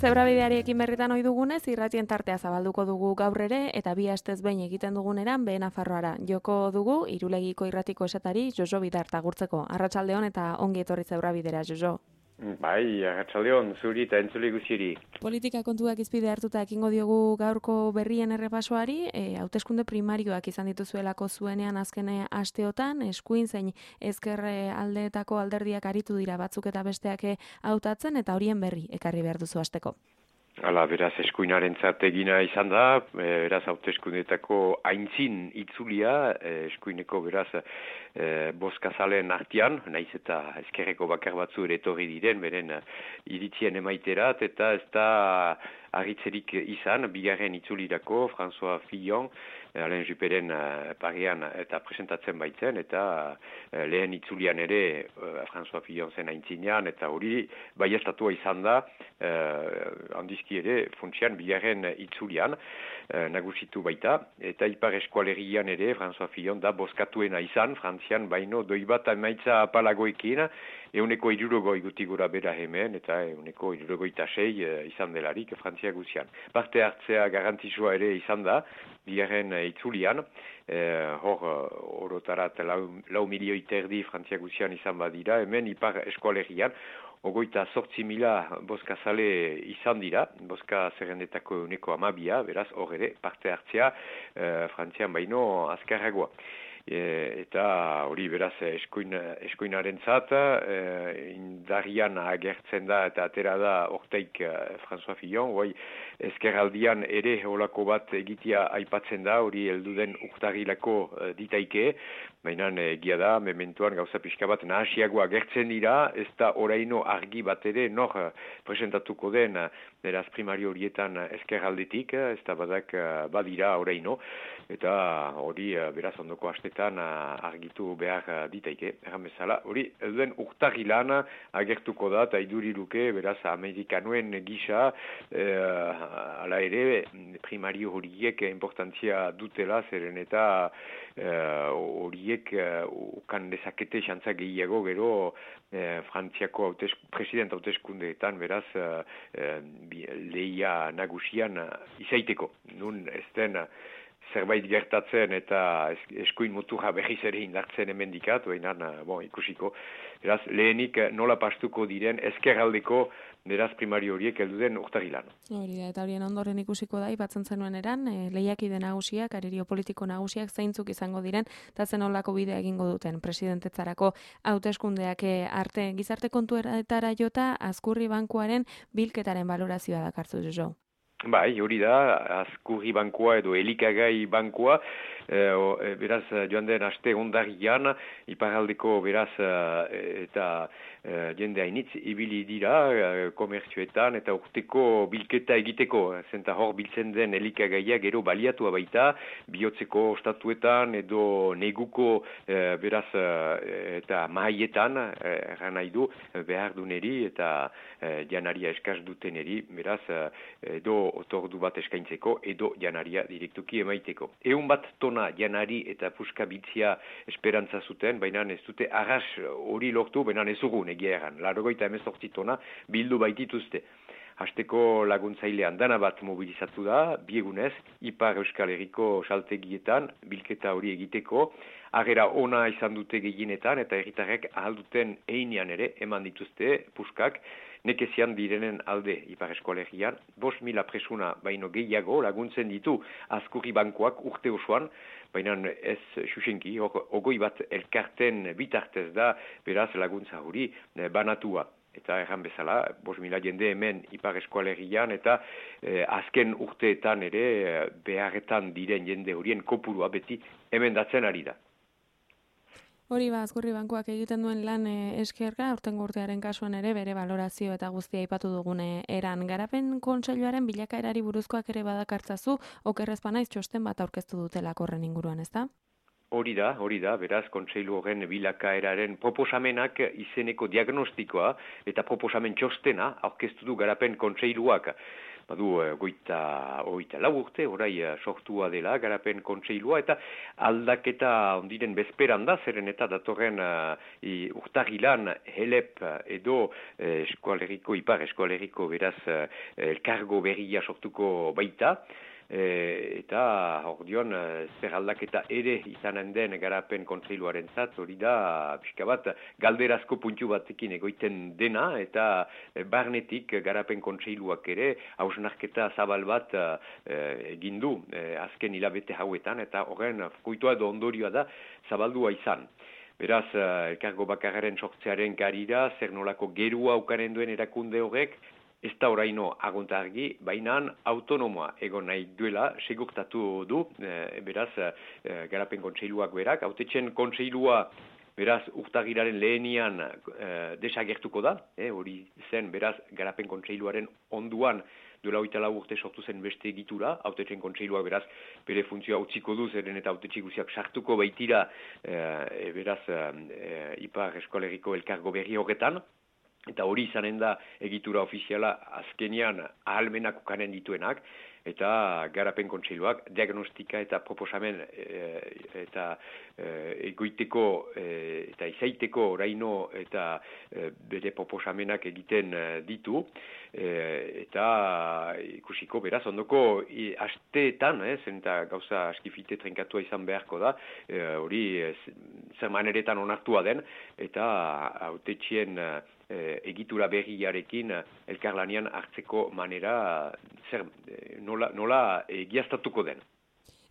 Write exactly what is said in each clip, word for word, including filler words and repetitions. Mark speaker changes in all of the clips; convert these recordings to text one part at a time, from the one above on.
Speaker 1: Zebrabideariekin berritan ohi dugunez, irratien tartea zabalduko dugu gaur ere, eta bi astez behin egiten duguneran behe Nafarroara. Joko dugu, Irulegiko irratiko esatari Jojo Bidart agurtzeko. Arratsaldeon eta ongi etorri Zebrabidera, Jojo.
Speaker 2: Bai, arratsaldeon, zuri eta entzule guztieri.
Speaker 1: Politika kontuak izpide hartuta ekingo diogu gaurko berrien errepasoari, e, hauteskunde primarioak izan dituzuelako zuenean azkene asteotan, eskuin zein ezker aldeetako alderdiak aritu dira batzuk eta besteak hautatzen, eta horien berri ekarri behar duzu hasteko.
Speaker 2: Hala, beraz, eskuinarentzat egina izan da, beraz, hauteskundetako aintzin itzulia, eskuineko, beraz, e, bozkazalen artean, naiz eta ezkerreko bakar batzu ere etorri diren, beren iritzien emaiterat, eta ez da argitzerik izan, bigarren itzulirako, François Fillon, Alain Jupperen uh, parian eta presentatzen baitzen, eta uh, lehen itzulian ere uh, François Fillon zen aintzinean, eta hori baiestatua izan da, uh, handizki ere funtsian bigarren itzulian uh, nagusitu baita, eta ipar eskualerian ere François Fillon da bozkatuena izan, Frantzian baino doi bat emaitza apalagoekin, euneko irurogoi guti gura bera hemen, eta euneko irurogoi tasei uh, izan delarik Frantzia guzian. Parte hartzea garantizua ere izan da, bigarren itzulian, eh, hor orotarat lau, lau milioi terdi Frantzia guzian izan badira, hemen ipar eskualerian, ogoita sortzi mila bozkazale izan dira, bozka zerrendetako euneko amabia, beraz hor ere parte hartzea eh, Frantzian baino azkarragoa. E, eta hori beraz eskuin, eskuinarentzat e, indarrian agertzen da eta atera da orteik e, François Fillon, hoi ezkerraldian ere holako bat egitea aipatzen da, hori helduden urtarrilako e, ditaike, baina egia da, mementuan gauza pixka bat nahasiago agertzen dira, ez da oraino argi bat ere nor presentatuko den beraz primario horietan ezkerraldetik, ez da badak badira oraino, eta hori beraz ondoko astetan argitu behar ditaike, erran bezala, hori elduen urtarrilan agertuko da, eta iduriruke beraz amerikanuen gisa, e, ala ere primario horiek importantzia dutela, zeren eta horiek uh, ukan dezakete xantza gehiago gero uh, Frantziako hautes, president hauteskundeetan beraz uh, uh, lehia nagusian uh, izaiteko. Nun ez den uh, zerbait gertatzen eta eskuin muturra berriz ere indartzen hemendikat, baina uh, bon, ikusiko. Beraz, lehenik nola pastuko diren ezkerraldeko beraz primario horiek heldu den urtarrilan.
Speaker 1: Hori da, eta horien ondoren ikusiko da, ipatzen zenuen eran, e, lehiakide nagusiak, arerio politiko nagusiak zeintzuk izango diren, eta zen olako bidea egingo duten presidentetzarako hauteskundeak arte gizarte kontuetara jota Azkurri bankuaren bilketaren valorazioa dakartzu jo.
Speaker 2: Bai, hori da, Azkurri bankua edo elikagai bankua, e, beraz joan den aste ondarian, iparaldeko beraz eta e, jende hainitz ibili dira e, komertzioetan eta urteko bilketa egiteko, zenta hor biltzen den elikagaia gero baliatua baita, bihotzeko ostatuetan edo neguko e, beraz e, eta mahaietan, erran nahi du, behar duneri eta e, janaria eskaz duteneri, beraz edo otordu bat eskaintzeko edo janaria direktuki emaiteko. Eun bat tona janari eta puska biltzia esperantza zuten, baina ez dute arras hori lortu, baina ez ugun egia egan. Largoita emezortzi tona bildu baitituzte. Hasteko laguntzailean dana bat mobilizatu da, biegunez, Ipar Euskal Herriko saltegietan, bilketa hori egiteko, agera ona izan dute gehienetan eta herritarrek ahalduten einean ere eman dituzte puskak, nekezian direnen alde Ipar Eskolegian, bost mila presuna baino gehiago laguntzen ditu Azkurri bankuak urte osoan, baina ez xuxenki, ogoi bat elkarten bitartez da beraz laguntza hori banatua. Eta erran bezala, bost mila jende hemen Ipar Eskolegian eta eh, azken urteetan ere eh, beharretan diren jende horien kopurua beti emendatzen ari da.
Speaker 1: Hori ba, Azkurri bankuak egiten duen lan e, eskerga, aurtengo urtearen kasuan ere bere valorazio eta guztia aipatu dugune eran. Garapen kontseiluaren bilakaerari buruzkoak ere badakartzazu, okerrezpa naiz txosten bat aurkeztu dutela horren inguruan, ezta?
Speaker 2: Hori da, hori da, beraz, kontseilu horren bilakaeraren proposamenak izeneko diagnostikoa eta proposamen txostena aurkeztu du garapen kontseiluak. badu goita, goita lau urte, orai sortua dela, garapen kontseilua, eta aldaketa ondiren bezperan da, zeren eta datorren uh, urtagilan helep edo eh, eskualeriko, ipar eskualeriko beraz eh, elkargo berria sortuko baita, E, eta ordion zer aldaketa ere izanen den garapen kontseiluaren zat, hori da pixka bat galderazko puntu batekin egoiten dena, eta barnetik garapen kontseiluak ere hausnarketa zabal bat e, egin du e, azken hilabete hauetan, eta horren fruitua edo ondorioa da zabaldua izan. Beraz, elkargo bakarraren sortzearen garira, zer nolako gerua ukaren duen erakunde horrek, ez da oraino agonta argi, baina autonomoa egon nahi duela, segurtatu du, e, beraz, e, garapen kontseiluak berak, hautetzen kontseilua, beraz, urtagiraren lehenian e, desagertuko da, e, hori zen, beraz, garapen kontseiluaren onduan, duela hogeita lau urte sortu zen beste egitura, hautetzen kontseiluak beraz, bere funtzioa utziko du, zeren eta hautetxe guziak sartuko baitira, e, beraz, e, ipar eskoleriko elkargo berri horretan, eta hori izanen da egitura ofiziala azkenian ahalmenak ukanen dituenak, eta garapen kontseiluak diagnostika eta proposamen e, eta e, egoiteko e, eta izaiteko oraino eta e, bere proposamenak egiten ditu, e, eta ikusiko beraz ondoko i, asteetan, eh, zenta gauza askifite trenkatua izan beharko da, hori e, zer maneretan onartua den, eta hautetxien E, egitura berriarekin elkarlanian hartzeko manera zer, nola, nola egiaztatuko den.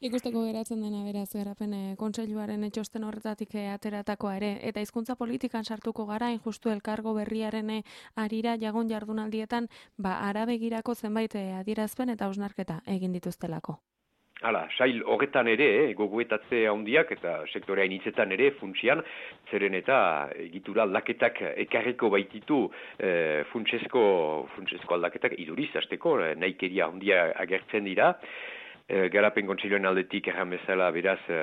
Speaker 1: Ikusteko geratzen dena beraz garapen kontseiluaren txosten horretatik ateratakoa ere, eta hizkuntza politikan sartuko gara, injustu elkargo berriaren arira jagon jardunaldietan, ba arabegirako zenbait adierazpen eta hausnarketa egin dituztelako.
Speaker 2: Hala, sail horretan ere, eh, gogoetatze handiak eta sektorea initzetan ere funtsian, zeren eta egitura aldaketak ekarriko baititu eh, funtsesko, funtsesko aldaketak iduriz, azteko, eh, nahikeria handia agertzen dira. E, garapen kontseiluaren aldetik erran bezala beraz e,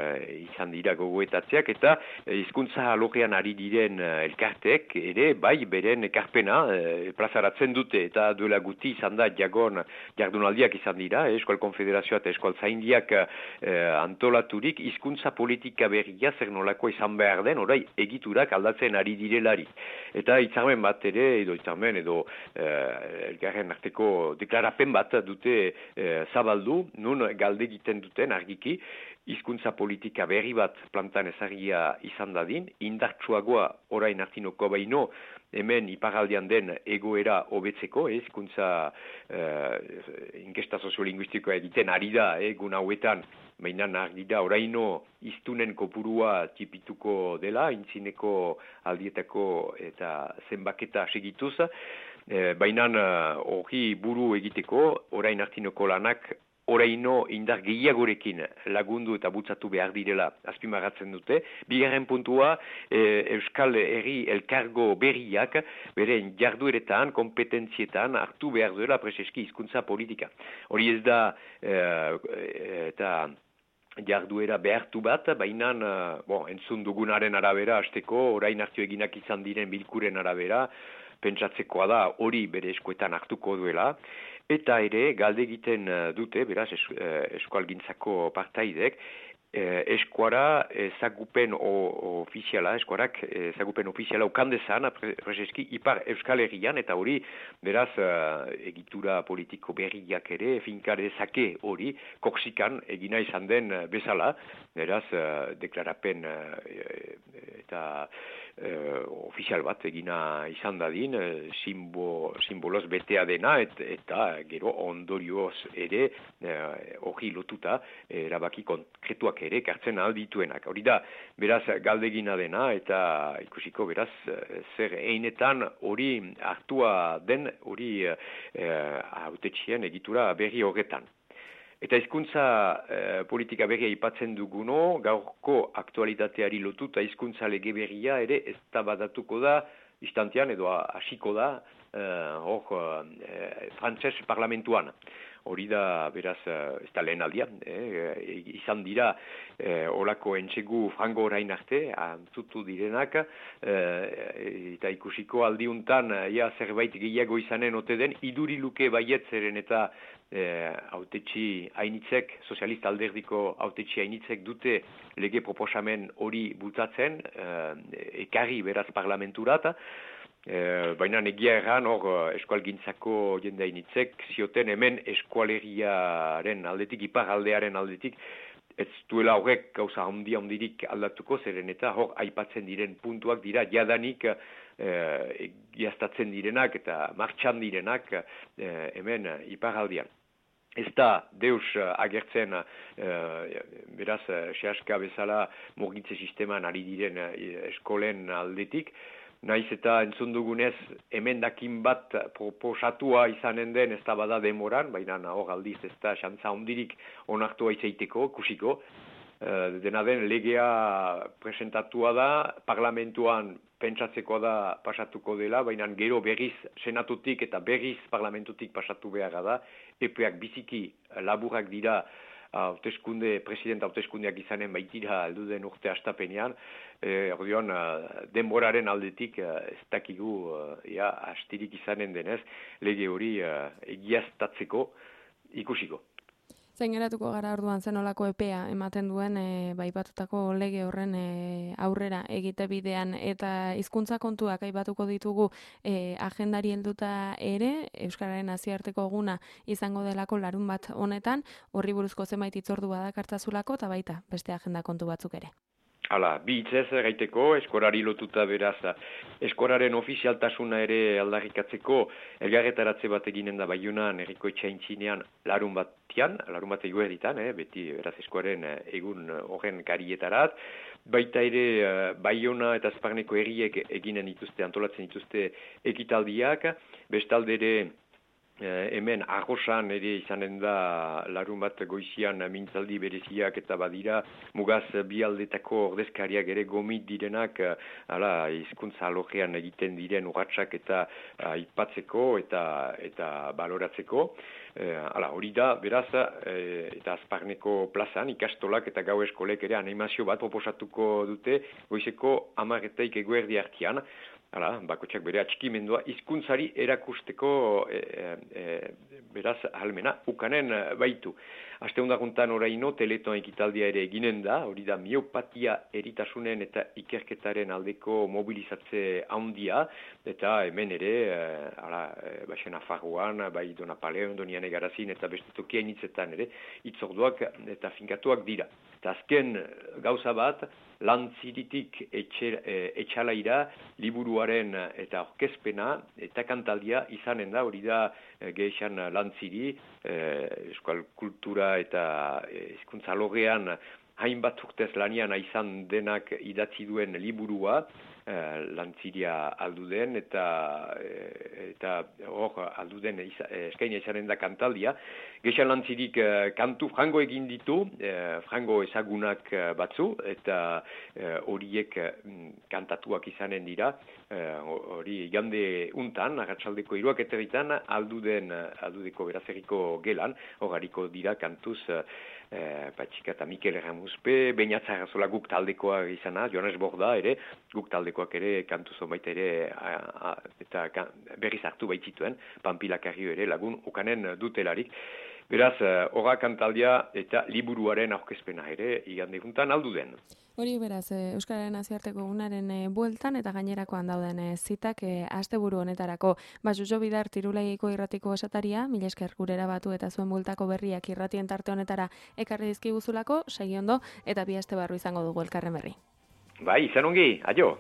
Speaker 2: izan dira gogoetatzeak, eta hizkuntza alorrean ari diren e, elkarteek ere bai beren ekarpena e, plazaratzen dute, eta duela guti izan da jagon jardunaldiak izan dira, e, Eskual Konfederazioa eta Eskual Zaindiak e, antolaturik hizkuntza politika berria zer nolako izan behar den, orai egiturak aldatzen ari direlari. Eta hitzarmen bat ere, edo hitzarmen edo e, elkarren arteko deklarapen bat dute e, zabaldu, nun galde egiten duten argiki, hizkuntza politika berri bat plantan ezagia izan dadin, indartsuagoa orain artinoko baino, hemen iparaldean den egoera hobetzeko, hizkuntza eh, inkesta soziolinguistikoa egiten ari da, egun eh, hauetan, baina argi da oraino hiztunen kopurua tipituko dela, intzineko aldietako eta zenbaketa segituz, eh, baina hori buru egiteko, orain artinoko lanak oraino indar gehiagorekin lagundu eta butzatu behar direla azpimarratzen dute. Bigarren puntua, e, Euskal Herri elkargo berriak beren jardueretan, kompetentzietan hartu behar duela preseski hizkuntza politika. Hori ez da e, eta jarduera behartu bat, baina bon, entzun dugunaren arabera, hasteko orain hartu eginak izan diren bilkuren arabera, pentsatzekoa da hori bere eskuetan hartuko duela, eta ere galde egiten dute, beraz, es, eskualgintzako partaidek, eskuara ezagupen ofiziala, eskuarak ezagupen ofiziala ukandezan, prezeski, ipar Euskal Herrian, eta hori, beraz, egitura politiko berriak ere, finkadezake hori, koksikan egina izan den bezala, beraz, deklarapen eta Uh, ofizial bat egina izan dadin, uh, simbo, simboloz betea dena, et, eta gero ondorioz ere hori uh, lotuta erabaki konkretuak ere kartzen aldituenak. Hori da, beraz, galdegina dena, eta ikusiko beraz, zer einetan hori hartua den, hori hautetxien uh, egitura berri horretan. Eta hizkuntza eh, politika berria aipatzen duguno, gaurko aktualitateari lotuta hizkuntza lege berria ere ez da badatuko da, istantean edo hasiko da, eh, hor, eh, frantses parlamentuan. hori da, beraz, ez da lehen aldian, eh, izan dira eh, olako entsegu frango orain arte, antzutu direnak, eh, eta ikusiko aldiuntan, ja, zerbait gehiago izanen ote den, iduri luke baietzeren eta eh, autetxi hainitzek, sozialista alderdiko autetxi hainitzek dute lege proposamen hori bultatzen, eh, ekarri beraz parlamenturat, E, baina egia erran hor eskualgintzako jende hainitzek zioten hemen eskualeriaren aldetik, iparaldearen aldetik, ez duela horrek gauza handi handirik aldatuko, zeren eta hor aipatzen diren puntuak dira jadanik e, giaztatzen direnak eta martxan direnak e, hemen iparaldean. Ez da deus agertzen e, beraz sehaska bezala murgitze sisteman ari diren eskolen aldetik, naiz eta entzun dugunez emendakin bat proposatua izanen den ez da bada demoran, baina hor aldiz ez da xantza hondirik onartua izaiteko, kusiko. E, dena den legea presentatua da, parlamentuan pentsatzekoa da pasatuko dela, baina gero berriz senatutik eta berriz parlamentutik pasatu beharra da, epeak biziki laburak dira hauteskunde, presidenta hauteskundeak izanen baitira alduden urte astapenean, e, ordeon, denboraren aldetik ez dakigu ja, astirik izanen denez, lege hori egiaztatzeko ikusiko.
Speaker 1: Zein geratuko gara orduan zenolako epea ematen duen e, baipatutako lege horren e, aurrera egite bidean eta hizkuntza kontuak aipatuko ditugu e, agendari helduta ere, Euskararen nazioarteko eguna izango delako larun bat honetan, horri buruzko zenbait hitzordu badakartzazulako eta baita beste agenda kontu batzuk ere.
Speaker 2: Hala, bi hitzez gaiteko, eskorari lotuta beraz, eskoraren ofizialtasuna ere aldarrikatzeko elgarretaratze bat eginen da Baiunan herriko etxaintzinean larun batian, larun bat eguerditan, eh, beti beraz eskoraren egun horren karietarat, baita ere Baiuna eta Azparneko herriek eginen dituzte, antolatzen dituzte ekitaldiak, bestalde ere Eh, hemen arrosan ere izanen da larun bat goizian mintzaldi bereziak eta badira mugaz bi aldetako ordezkariak ere gomit direnak ala hizkuntza alorrean egiten diren urratsak eta aipatzeko eta eta baloratzeko. Eh, ala, hori da, beraz, eh, eta Azparneko plazan ikastolak eta gau eskolek ere animazio bat proposatuko dute goizeko hamarretaik eguerdi artean. Hala, bakotxak bere atxikimendua hizkuntzari erakusteko e, e, beraz ahalmena ukanen baitu. Aste hundaguntan oraino teletoan ekitaldia ere eginen da, hori da miopatia eritasunen eta ikerketaren aldeko mobilizatze handia, eta hemen ere, e, ala, e, baixen afarroan, bai Donapaleon, Donian Egarazin eta beste tokiain hitzetan ere, hitzorduak eta finkatuak dira. Eta azken gauza bat, lantziritik etxe, e, etxalaira, liburuaren eta orkezpena eta kantaldia izanen da, hori da e, gehixan lantziri, e, euskal kultura eta hizkuntza logean hainbat urtez lanian izan denak idatzi duen liburua, eh, lantziria alduden eta eta hor alduden eskaina izanen da kantaldia. Gexan lantzirik eh, kantu frango egin ditu, eh, frango ezagunak batzu, eta horiek eh, kantatuak izanen dira, hori eh, igande untan, arratsaldeko hiruak eterritan, alduden, aldudeko berazerriko gelan, hor hariko dira kantuz, Eh, Patxika eta Mikel Erramuzpe, Beñatza Arrazola guk taldekoa izana, Joanes Borda ere, guk taldekoak ere, kantu zonbait ere, a, a, eta kan, berriz hartu baitzituen, Panpilakarrio ere lagun ukanen dutelarik. Beraz, horra kantaldia eta liburuaren aurkezpena ere, igande juntan aldu den.
Speaker 1: Hori beraz, Euskararen nazioarteko egunaren bueltan eta gainerakoan dauden zitak asteburu honetarako. Ba, Jojo Bidar Tirulegiko irratiko esataria, mila esker gurera batu eta zuen bueltako berriak irratien tarte honetara ekarri dizkiguzulako, segi ondo, eta bi aste barru izango dugu elkarren berri.
Speaker 2: Bai, izan ongi, aio!